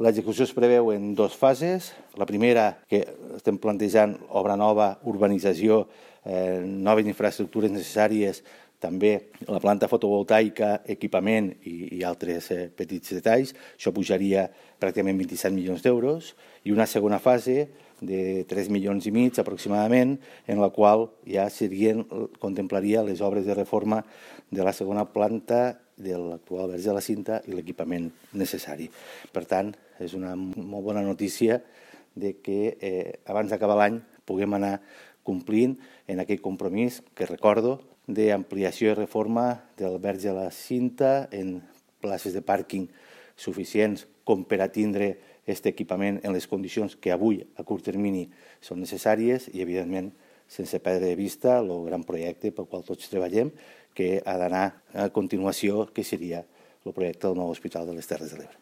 L'execució es preveu en 2 fases. La primera, que estem plantejant obra nova, urbanització, noves infraestructures necessàries, també la planta fotovoltaica, equipament i altres petits detalls. Això pujaria pràcticament 27 milions d'euros. I una segona fase de 3,5 milions aproximadament, en la qual ja contemplaria les obres de reforma de la segona planta de l'actual Verge de la Cinta i l'equipament necessari. Per tant, és una molt bona notícia de que abans d'acabar l'any puguem anar complint en aquest compromís que recordo d'ampliació i reforma del Verge de la Cinta en places de pàrquing suficients com per a tindre aquest equipament en les condicions que avui a curt termini són necessàries i, evidentment, sense perdre de vista el gran projecte pel qual tots treballem, que ha d'anar a continuació, que seria el projecte del nou Hospital de les Terres de l'Ebre.